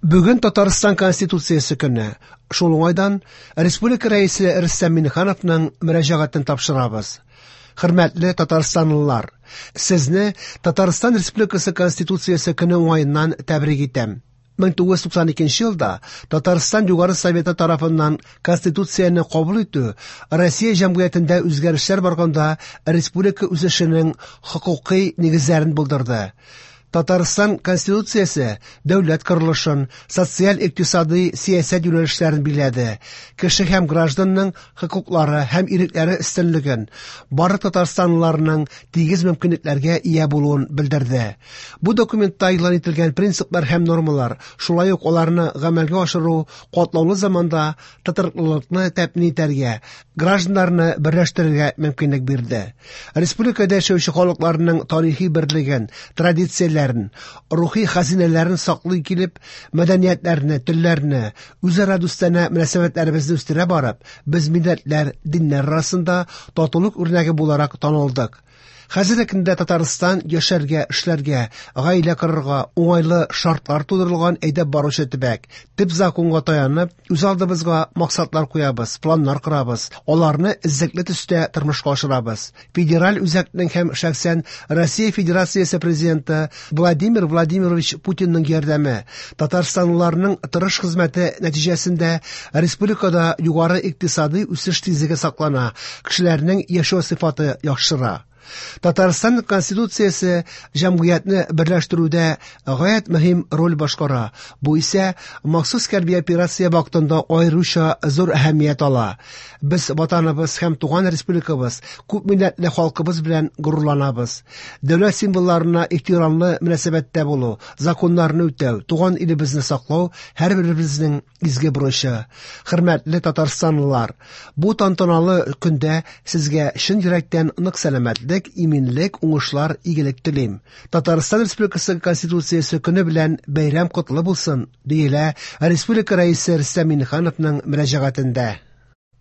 Бүген Татарстан Конституциясе көне. Шул уңайдан Республика Рәисе Рөстәм Миңнехановның мөрәҗәгатен тапшырабыз. Хөрмәтле татарстанлылар, сезне Татарстан Республикасы Конституциясе көне уңаеннан тәбрик итәм. 1992 елда Татарстан Югары Советы тарафыннан Конституцияне кабул итү Россия җәмгыятендә үзгәрешләр барганда республика үсешенең хокукый нигезләрен булдырды. Татарстан Конституциясе дәүләт корылышын, социаль-икътисадый сәясәт юнәлешләрен билгеләде, кеше һәм гражданның хокуклары һәм ирекләре өстенлеген, барлык татарстанлыларның тигез мөмкинлекләргә ия булуын белдерде. Бу документта игълан ителгән принциплар һәм нормалар, шулай ук аларны гамәлгә ашыру катлаулы заманда тотрыклылыкны тәэмин итәргә, гражданнарны берләштерергә мөмкинлек бирде. Республикада яшәүче халыкларның тарихи берлеген, традицияләрен, рухи хәзинәләрен саклый килеп, мәдәниятләрне, телләрне, үзара дустанә мөнәсәбәтләребезне үстерә барып, без милләтләр, диннәр арасында татулык үрнәге буларак танылдык. Хәзерге көндә Татарстан яшәргә, эшләргә, гаилә корырга уңайлы шартлар тудырылган әйдәп баручы төбәк. Төп законга таянып, үз алдыбызга максатлар куябыз, планнар корабыз, аларны эзлекле төстә тормышка ашырабыз. Федераль үзәкнең һәм шәхсән Россия Федерациясе Президенты Владимир Владимирович Путинның ярдәме, татарстанлыларның тырыш хезмәте нәтиҗәсендә республикада югары икътисадый үсеш тизлеге саклана, кешеләрнең яшәү сыйфаты яхшыра. Татарстан Конституциясе җәмгыятьне берләштерүдә гаять мөһим роль башкара. Бу исә махсус хәрби операция вакытында аеруча зур әһәмият ала. Без ватаныбыз һәм туган республикабыз, күп милләтле халкыбыз белән горурланабыз. Дәүләт символларына ихтирамлы мөнәсәбәттә булу, законнарны үтәү, туган илебезне саклау һәрберебезнең изге бурычы. Хөрмәтле татарстанлылар, бу тантаналы көндә сезгә чын йөрәктән нык сәламәтлек, иминлек, уңышлар, игелек телим. Татарстан Республикасы Конституциясе көне белән бәйрәм котлы булсын, диелә Республика Рәисе Рөстәм Миңнехановның мөрәҗәгатендә.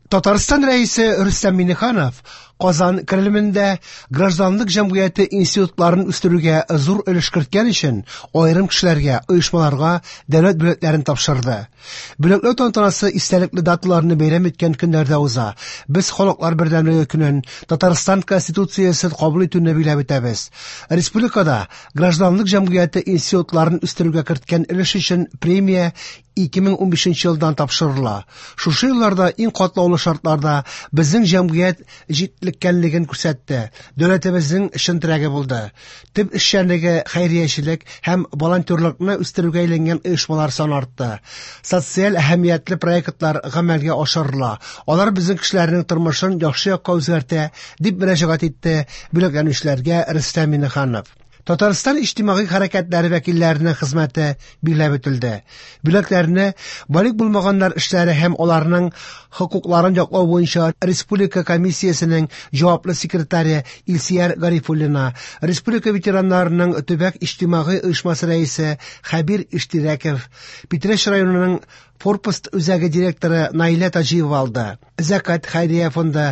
Татарстан Рәисе Рөстәм Миңнеханов Казан Кремлендә гражданлык җәмгыяте институтларын үстерүгә зур өлеш керткән өчен аерым кешеләргә, оешмаларга дәүләт бүләкләрен тапшырды. Бүләкләү тантанасы истәлекле даталарны бәйрәм иткән көннәрдә уза. Без Халыклар бердәмлеге көнен, Татарстан Конституциясен кабул итүне биләп үтәбез. Республикада гражданлык җәмгыяте институтларын үстерүгә керткән өлеш өчен премия 2015 елдан тапшырыла. Шушы елларда иң катлаулы шартларда безнең җәмгыять җитлеккәнлеген күрсәтте, дәүләтебезнең чын терәге булды. Төп эшчәнлеге хәйриячелек һәм волонтерлыкны үстерүгә әйләнгән оешмалар саны артты. Социаль әһәмиятле проектлар гамәлгә ашырыла. Алар безнең кешеләрнең тормышын яхшы якка үзгәртә, дип мөрәҗәгать итте бүләкләнүчеләргә Рөстәм Миңнеханов. Татарстан иҗтимагый хәрәкәтләре вәкилләренең хезмәте билгеләп үтелде. Бүләкләрне балигъ булмаганнар эшләре һәм аларның хокукларын яклау буенча республика комиссиясенең җаваплы секретаре Илсияр Гарифуллина, республика ветераннарының төбәк иҗтимагый оешмасы рәисе Хәбир Иштирәков, Питрәч районының Форпост үзәге директоры Наилә Таҗиева алды. Зәкат хәйрия фонды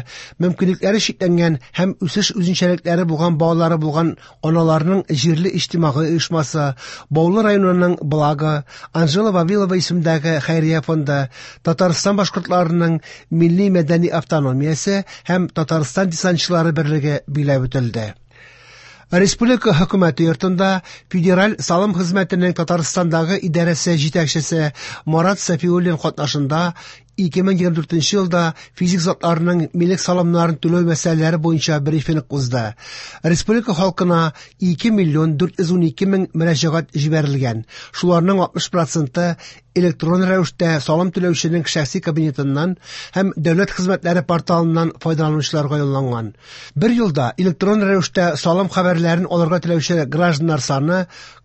мөмкинлекләре чикләнгән һәм үсеш үзенчәлекләре булган балалары булган аналарның җирле иҗтимагый оешмасы, Баулы районының Благо, Анжела Вавилова исемендәге хәйрия фонды, Татарстан башкортларының милли мәдәни автономиясе һәм Татарстан десантчылары берлеге биләп үтелде. Республика хөкүмәте йортында Федераль салым хезмәтенең Татарстандагы идарәсе җитәкчесе Марат Сафиуллин катнашында 2024 елда физик затларның милек салымнарын түләү мәсьәләләре буенча брифинг узды. Республика халкына 2 миллион 412 мең мөрәҗәгать җибәрелгән. Шуларның 60 проценты электрон рәвештә салым түләүченең шәхси кабинетыннан һәм дәүләт хезмәтләре порталыннан файдаланучыларга юлланган. Бер елда электрон рәвештә салым хәбәрләрен алырга теләүче гражданнар саны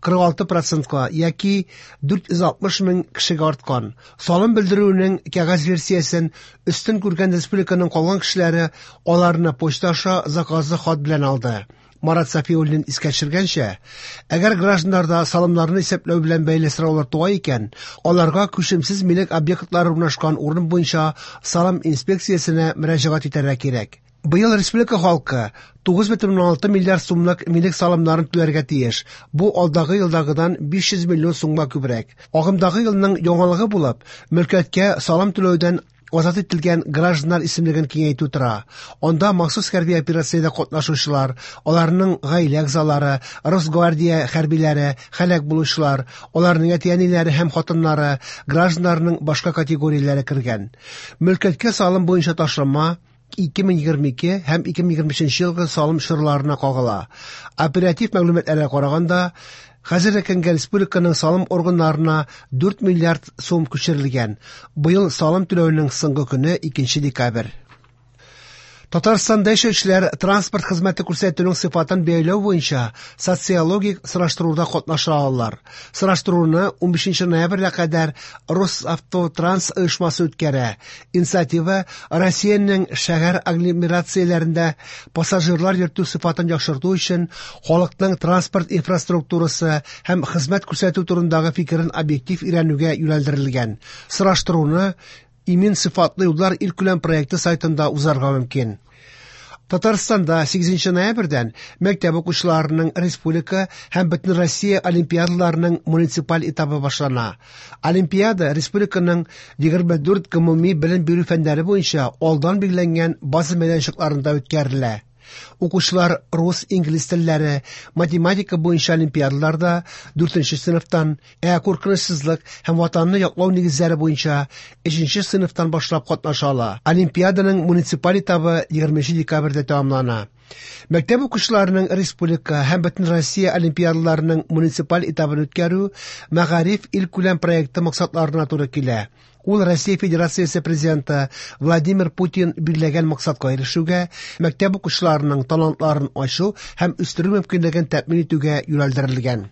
46 процентка яки 460 мең кешегә арткан. Салым белдерүенең кәгазь версиясен өстен күргән республиканың калган кешеләре аларны почта аша заказлы хат белән алды. Марат Сафиуллин искә төшергәнчә, әгәр гражданнарда салымнарны исәпләү белән бәйле сораулар туа икән, аларга күчемсез милек объектлары урнашкан урын буенча салым инспекциясенә мөрәҗәгать итәргә кирәк. Быел республика халкы 9,6 миллиард сумлык милек салымнарын түләргә тиеш. Бу алдагы елдагыдан 500 миллион сумга күбрәк. Агымдагы елның яңалыгы булып, мөлкәткә салым түләүдән азат ителгән гражданнар исемлеген киңәйтү тора. Анда махсус хәрби операциядә катнашучылар, аларның гаилә әгъзалары, Росгвардия хәрбиләре, һәлак булучылар, аларның әти-әниләре һәм хатыннары, гражданнарның башка категорияләре кергән. Мөлкәткә салым буенча ташлама 2022 һәм 2023 елгы салым чорларына кагыла. Оператив мәгълүматларга караганда, хәзерге көнгә республиканың салым органнарына 4 миллиард сум күчерелгән. Быел салым түләүнең соңгы көне 2 декабрь. Татарстанда яшәүчеләр транспорт хезмәте күрсәтүнең сыйфатын бәяләү буенча социологик сораштыруда катнаша алалар. Сораштыруны 15 ноябрьгә кадәр Росавтотранс оешмасы үткәрә. Инициатива Россиянең шәһәр агломерацияләрендә пассажирлар йөртү сыйфатын яхшырту өчен халыкның транспорт инфраструктурасы һәм хезмәт күрсәтү турындагы фикерен объектив өйрәнүгә юнәлдерелгән. Сораштыруны Имин сыйфатлы юллар илкүләм проекты сайтында узарга мөмкин. Татарстанда 8 ноябрьдән мәктәп укучыларының республика һәм Бөтенроссия олимпиадаларының муниципаль этабы башлана. Олимпиада республиканың 24 гомуми белем бирү фәннәре буенча алдан билгеләнгән база мәйданчыкларында үткәрелә. Укучылар рус, инглиз телләре, математика буенча олимпиадаларда 4 сыйныфтан, ә куркынычсызлык һәм ватанны яклау нигезләре буенча 3 сыйныфтан башлап катнаша ала. Олимпиаданың муниципаль этабы 20 декабрьдә тәмамлана. Мәктәп укучыларының республика һәм Бөтенроссия олимпиадаларының муниципаль этабын үткәрү Мәгариф илкүләм проекты максатларына туры килә. Ул Россия Федерациясе президенты Владимир Путин билгеләгән максатка ирешүгә, мәктәп укучыларының талантларын ачу һәм үстерү мөмкинлеген тәэмин итүгә юнәлдерелгән.